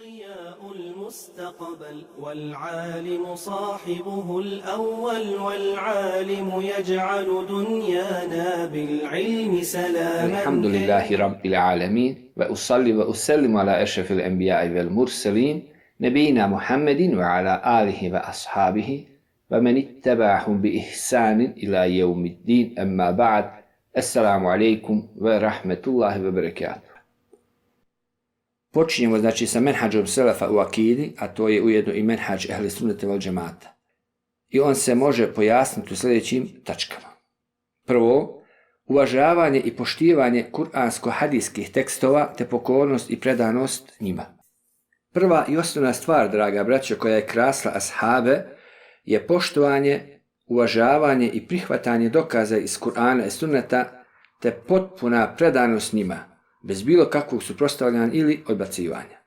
ضياء المستقبل والعالم صاحبه الأول والعالم يجعل دنيانا بالعلم سلاما. الحمد لله رب العالمين وأصلي وأسلم على أشرف الأنبياء والمرسلين نبينا محمد وعلى آله وأصحابه ومن اتبعهم بإحسان إلى يوم الدين. أما بعد، السلام عليكم ورحمة الله وبركاته. Počinjemo znači sa menhađom selefa u akidi, a to je ujedno i menhađ ehli sunnete vel džemata. I on se može pojasniti u sljedećim tačkama. Prvo, uvažavanje i poštivanje kuransko-hadijskih tekstova te pokornost i predanost njima. Prva i osnovna stvar, draga braćo, koja je krasla ashabe, je poštovanje, uvažavanje i prihvatanje dokaza iz Kur'ana i sunneta te potpuna predanost njima, bez bilo kakvog suprotstavljanja ili odbacivanja.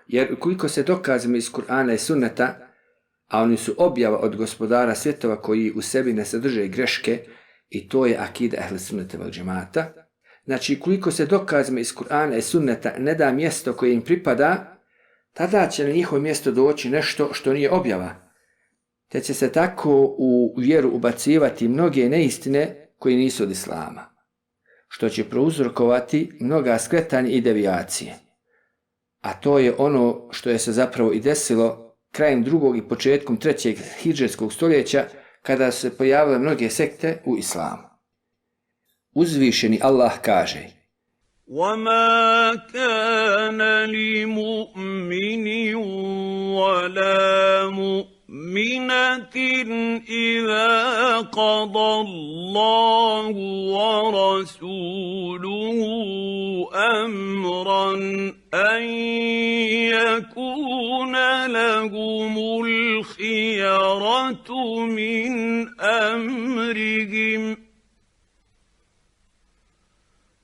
Jer ukoliko se dokazima iz Kur'ana i sunneta, a oni su objava od gospodara svjetova koji u sebi ne sadrže greške, i to je akida ehli sunnete vel džemata, znači ukoliko se dokazima iz Kur'ana i sunneta ne da mjesto koje im pripada, tada će na njihovo mjesto doći nešto što nije objava, te će se tako u vjeru ubacivati mnoge neistine koje nisu od islama, što će prouzrokovati mnoga skretanja i devijacije. A to je ono što je se zapravo i desilo krajem 2. i početkom 3. hidžretskog stoljeća, kada su se pojavile mnoge sekte u islamu. Uzvišeni Allah kaže: وَمَا كَانَ لِمُؤْمِنٍ وَلَا مُؤْمِنَةٍ إِذَا قَضَى اللَّهُ وَرَسُولُهُ أَمْرًا أَن يَكُونَ لَهُمُ الْخِيَرَةُ مِنْ أَمْرِهِمْ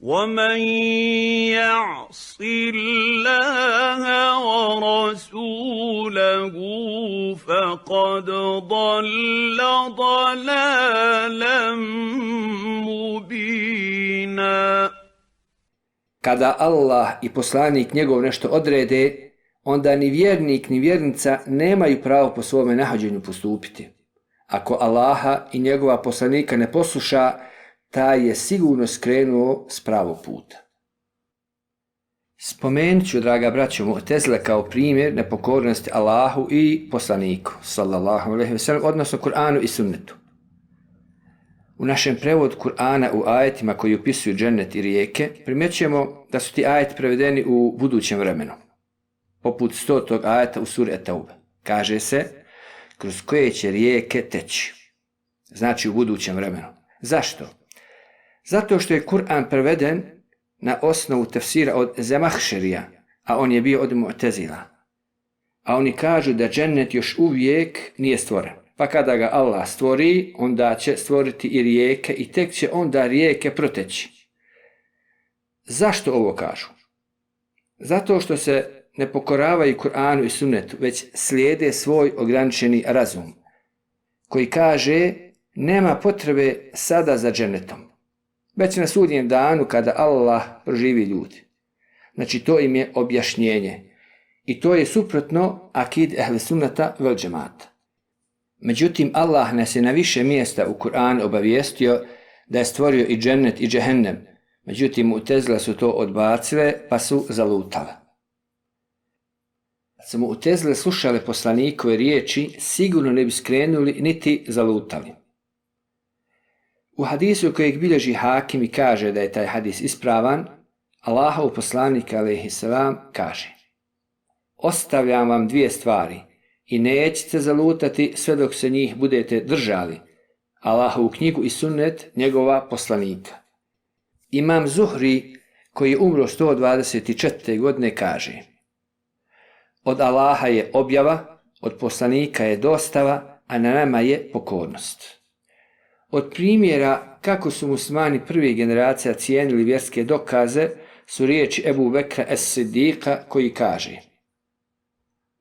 وَمَنْ يَعْصِ اللَّهَ وَرَسُولَهُ فَقَدْ ضَلَّ ضَلَالًا مُبِينًا. Kada Allah i poslanik njegov nešto odrede, onda ni vjernik ni vjernica nemaju pravo po svome nahođenju postupiti. Ako Allaha i njegova poslanika ne posluša, taj je sigurno skrenuo s pravog puta. Spomenut ću, draga braćo, Mu'tezile kao primjer nepokornosti Allahu i poslaniku, sallallahu alejhi ve sellem, odnosno Kur'anu i sunnetu. U našem prevodu Kur'ana u ajetima koji opisuju džennet i rijeke, primjećujemo da su ti ajeti prevedeni u budućem vremenu. Poput 100. ajeta u suri Et-Taube. Kaže se, kroz koje će rijeke teći. Znači u budućem vremenu. Zašto? Zato što je Kur'an preveden na osnovu tefsira od Zemahšerija, a on je bio od Mu'tezila. A oni kažu da džennet još uvijek nije stvoren. Pa kada ga Allah stvori, onda će stvoriti i rijeke i tek će onda rijeke proteći. Zašto ovo kažu? Zato što se ne pokoravaju Kur'anu i sunnetu, već slijede svoj ograničeni razum, koji kaže nema potrebe sada za džennetom, već na sudnjem danu kada Allah proživi ljudi. Znači to im je objašnjenje. I to je suprotno akid ehli sunnata vel džemata. Međutim, Allah nas je na više mjesta u Kur'anu obavijestio da je stvorio i džennet i džehennem. Međutim, Mu'tezile su to odbacile pa su zalutale. Kad su Mu'tezile slušale poslanikove riječi, sigurno ne bi skrenuli niti zalutali. U hadisu kojeg bilježi Hakim i kaže da je taj hadis ispravan, Allahov poslanik alejhi selam kaže: ostavljam vam 2 stvari i nećete zalutati sve dok se njih budete držali, Allahovu knjigu i sunnet njegova poslanika. Imam Zuhri, koji je umro 124. godine, kaže: od Allaha je objava, od poslanika je dostava, a na nama je pokornost. Od primjera kako su muslimani prvih generacija cijenili vjerske dokaze su riječi Ebu Bekra es-Siddiqa, koji kaže: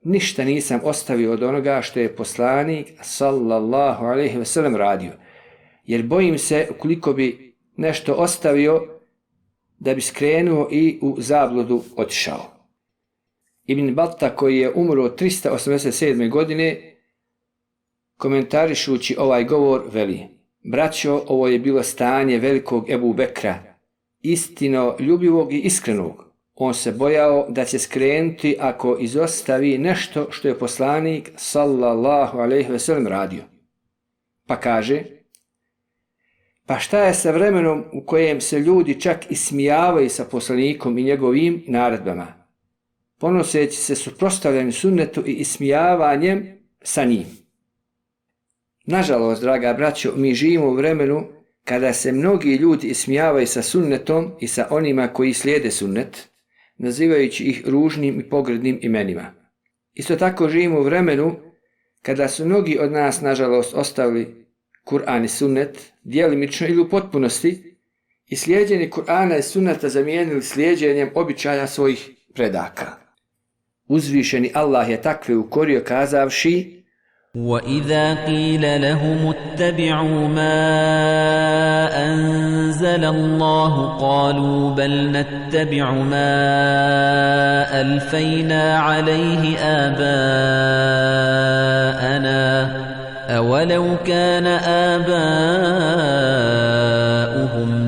ništa nisam ostavio od onoga što je poslanik sallallahu alejhi ve sellem radio, jer bojim se ukoliko bi nešto ostavio da bi skrenuo i u zabludu otišao. Ibn Batta, koji je umro 387. godine, komentarišući ovaj govor, veli: braćo, ovo je bilo stanje velikog Ebu Bekra, istino ljubivog i iskrenog. On se bojao da će skrenuti ako izostavi nešto što je poslanik sallallahu alejhi ve sellem radio. Pa kaže: pa šta je sa vremenom u kojem se ljudi čak ismijavaju sa poslanikom i njegovim naredbama, ponoseći se suprotstavljanju sunnetu i ismijavanjem sa njim. Nažalost, draga braćo, mi živimo u vremenu kada se mnogi ljudi ismijavaju sa sunnetom i sa onima koji slijede sunnet, nazivajući ih ružnim i pogrdnim imenima. Isto tako živimo u vremenu kada su mnogi od nas, nažalost, ostavili Kur'an i sunnet, djelimično ili u potpunosti, i slijedjenje Kur'ana i sunneta zamijenili slijedjenjem običaja svojih predaka. Uzvišeni Allah je takve ukorio kazavši: وَإِذَا قِيلَ لَهُمُ اتَّبِعُوا مَا أَنزَلَ اللَّهُ قَالُوا بَلْ نَتَّبِعُ مَا أَلْفَيْنَا عَلَيْهِ آبَاءَنَا أَوَلَوْ كَانَ آبَاؤُهُمْ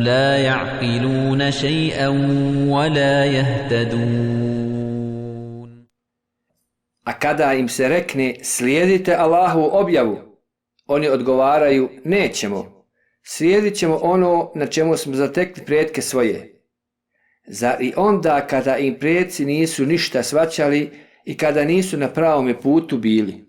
لَا يَعْقِلُونَ شَيْئًا وَلَا يَهْتَدُونَ. A kada im se rekne slijedite Allahovu objavu, oni odgovaraju nećemo, slijedit ćemo ono na čemu smo zatekli pretke svoje. Zar i onda kada im preci nisu ništa shvaćali i kada nisu na pravome putu bili?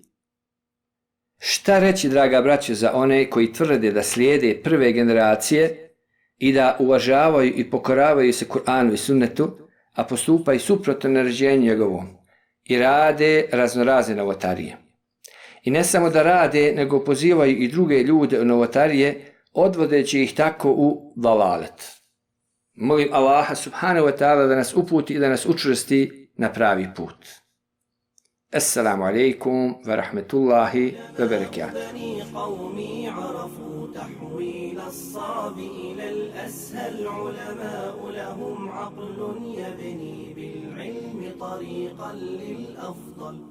Šta reći, draga braćo, za one koji tvrde da slijede prve generacije i da uvažavaju i pokoravaju se Kur'anu i sunnetu, a postupaju suprotno naređenju njegovom i rade raznorazne novotarije. I ne samo da rade, nego pozivaju i druge ljude u novotarije, odvodeći ih tako u dalalet. Molim Allaha subhanahu wa ta'ala da nas uputi i da nas učvrsti na pravi put. Assalamu alaikum wa rahmetullahi wa barakatuh. تحويل الصعب إلى الأسهل علماء لهم عقل يبني بالعلم طريقا للأفضل